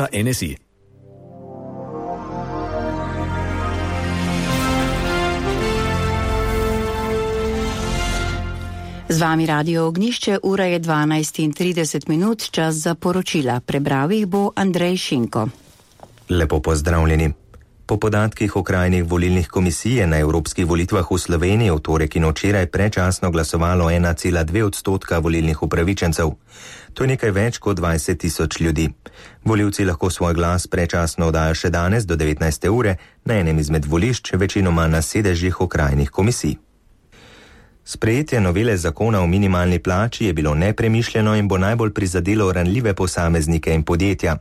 NSI. Z vami Radio Ognišče, ura je 12:30, čas za poročila. Prebral jih bo Andrej Šinko. Lepo pozdravljeni. Po podatkih okrajnih volilnih komisij je na evropskih volitvah v Sloveniji v torek in včeraj predčasno glasovalo 1,2% volilnih upravičencev. To je nekaj več kot 20 tisoč ljudi. Volivci lahko svoj glas predčasno oddajo še danes do 19. ure na enem izmed volišč, večinoma na sedežih okrajnih komisij. Sprejetje novele zakona o minimalni plači je bilo nepremišljeno in bo najbolj prizadelo ranljive posameznike in podjetja.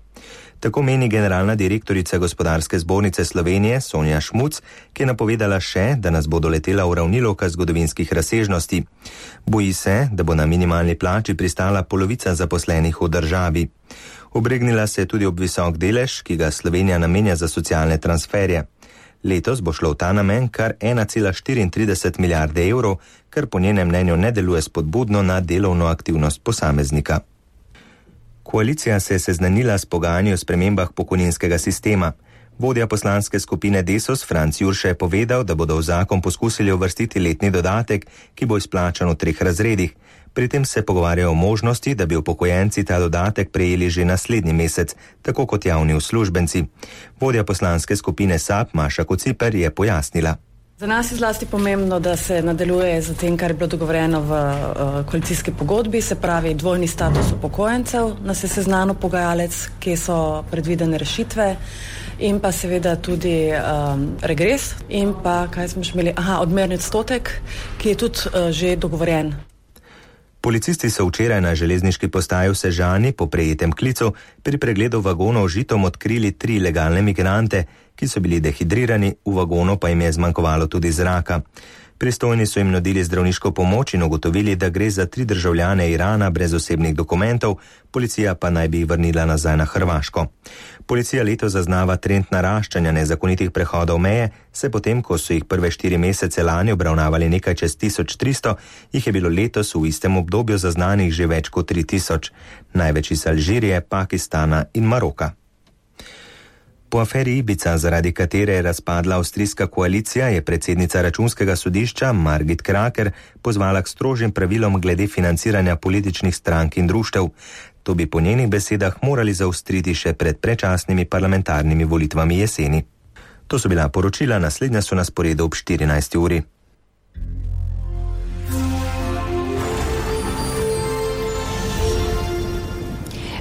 Tako meni generalna direktorica Gospodarske zbornice Slovenije Sonja Šmuc, ki je napovedala še, da nas bo doletela uravnilovka zgodovinskih razsežnosti. Boji se, da bo na minimalni plači pristala polovica zaposlenih v državi. Obregnila se je tudi ob visok delež, ki ga Slovenija namenja za socialne transferje. Letos bo šlo v ta namen kar 1,34 milijarde evrov, kar po njenem mnenju ne deluje spodbudno na delovno aktivnost posameznika. Koalicija se je seznanila s pogajanji o spremembah pokojninskega sistema. Vodja poslanske skupine Desus Franc Jurša je povedal, da bodo v zakon poskusili uvrstiti letni dodatek, ki bo izplačan v 3 razredih. Pri tem se pogovarjajo o možnosti, da bi upokojenci ta dodatek prejeli že naslednji mesec, tako kot javni uslužbenci. Vodja poslanske skupine SAB Maša Kociper je pojasnila. Za nas je zlasti pomembno, da se nadaljuje z tem, kar je bilo dogovorjeno v koalicijski pogodbi, se pravi dvojni status upokojencev, nas je seznanil pogajalec, kje so predvidene rešitve in pa seveda tudi regres in pa, kaj smo še imeli, odmerni odstotek, ki je tudi že dogovorjen. Policisti so včeraj na železniški postaji v Sežani po prejetem klicu pri pregledu vagonov žitom odkrili 3 legalne migrante, ki so bili dehidrirani, v vagonu pa jim je zmanjkovalo tudi zraka. Pristojni so jim nudili zdravniško pomoč in ugotovili, da gre za 3 državljane Irana brez osebnih dokumentov, policija pa naj bi jih vrnila nazaj na Hrvaško. Policija letos zaznava trend naraščanja nezakonitih prehodov meje, se potem, ko so jih prve 4 mesece lani obravnavali nekaj čez 1300, jih je bilo letos v istem obdobju zaznanih že več kot 3000, največ iz Alžirije, Pakistana in Maroka. Po aferi Ibiza, zaradi katere je razpadla avstrijska koalicija, je predsednica računskega sodišča Margit Kraker pozvala k strožjim pravilom glede financiranja političnih strank in društev. To bi po njenih besedah morali zaostriti še pred predčasnimi parlamentarnimi volitvami jeseni. To so bila poročila, naslednja so na sporedu ob 14. uri.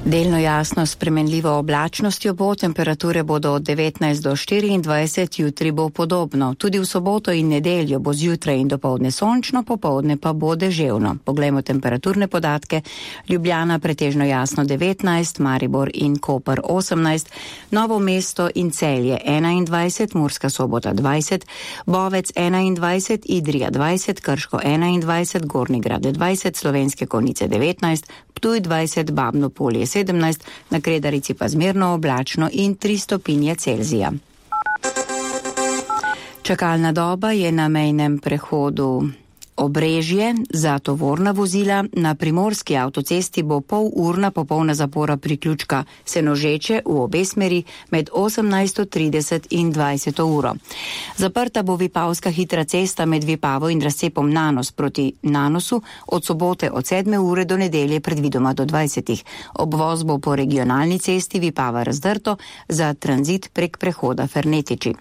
Delno jasno spremenljivo oblačnostjo bo, temperature bodo od 19 do 24, jutri bo podobno. Tudi v soboto in nedeljo bo zjutraj in dopoldne sončno, popoldne pa bo deževno. Poglejmo temperaturne podatke. Ljubljana pretežno jasno 19, Maribor in Koper 18, Novo mesto in Celje 21, Murska Sobota 20, Bovec 21, Idrija 20, Krško 21, Gornji Grad 20, Slovenske Konjice 19, Ptuj 20, Babno Polje 17, na Kredarici pa zmerno oblačno in 3 stopinje Celzija. Čakalna doba je na mejnem prehodu Obrežje za tovorna vozila. Na primorski avtocesti bo polurna popolna zapora priključka Senožeče v obe smeri med 18:30 in 20. uro. Zaprta bo Vipavska hitra cesta med Vipavo in razcepom Nanos proti Nanosu od sobote od 7. ure do nedelje predvidoma do 20. Obvoz bo po regionalni cesti Vipava Razdrto za tranzit prek prehoda Fernetiči.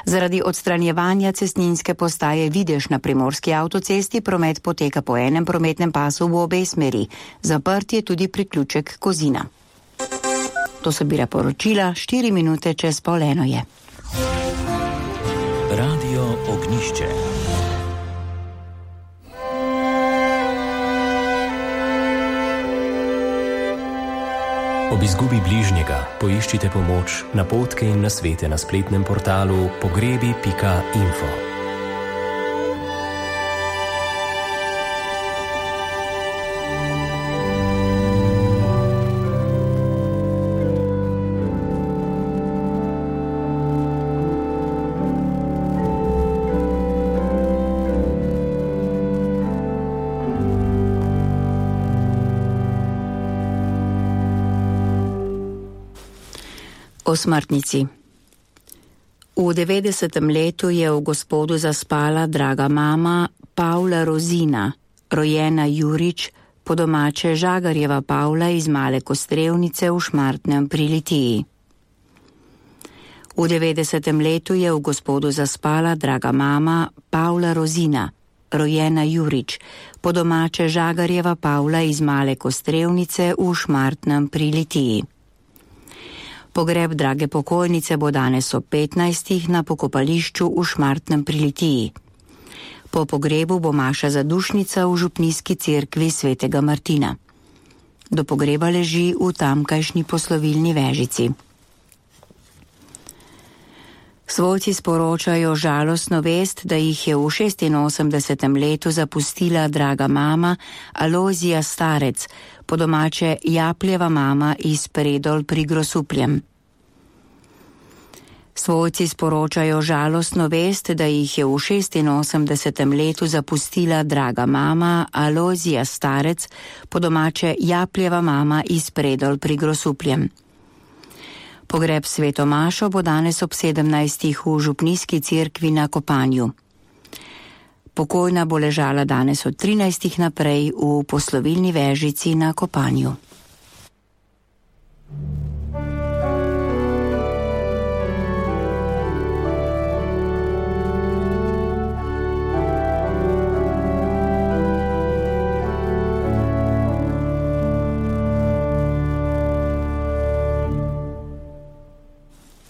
Zaradi odstranjevanja cestninske postaje Videž na primorski avtocesti promet poteka po enem prometnem pasu v obe smeri. Zaprt je tudi priključek Kozina. To so bila poročila, 4 minute čez 12:30 je. Radio Ognišče. Ob izgubi bližnjega poiščite pomoč, napotke in nasvete na spletnem portalu pogrebi.info. O smrtnici. V 90. letu je v Gospodu zaspala draga mama Pavla Rozina, rojena Jurič, po domače Žagarjeva Pavla iz Male Kostrevnice v Šmartnem pri Litiji. V 90. letu je v Gospodu zaspala draga mama Pavla Rozina, rojena Jurič, po domače Žagarjeva Pavla iz Male Kostrevnice v Šmartnem pri Litiji. Pogreb drage pokojnice bo danes ob 15. na pokopališču v Šmartnem pri Litiji. Po pogrebu bo maša zadušnica v župnijski cerkvi svetega Martina. Do pogreba leži v tamkajšnji poslovilni vežici. Svojci sporočajo žalostno vest, da jih je v 86. letu zapustila draga mama Alojzija Starec, po domače Japljeva mama iz Predol pri Grosupljem. Svojci sporočajo žalostno vest, da jih je v 86. letu zapustila draga mama Alojzija Starec, po domače Japljeva mama iz Predol pri Grosupljem. Pogreb sveto mašo bo danes ob 17. v župnijski cerkvi na Kopanju. Pokojna bo ležala danes od 13. naprej v poslovilni vežici na Kopanju.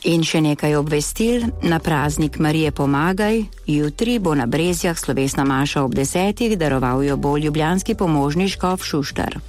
In še nekaj obvestil. Na praznik Marije Pomagaj, jutri bo na Brezjah slovesna maša ob 10. daroval jo bo ljubljanski pomožni škof Šuštar.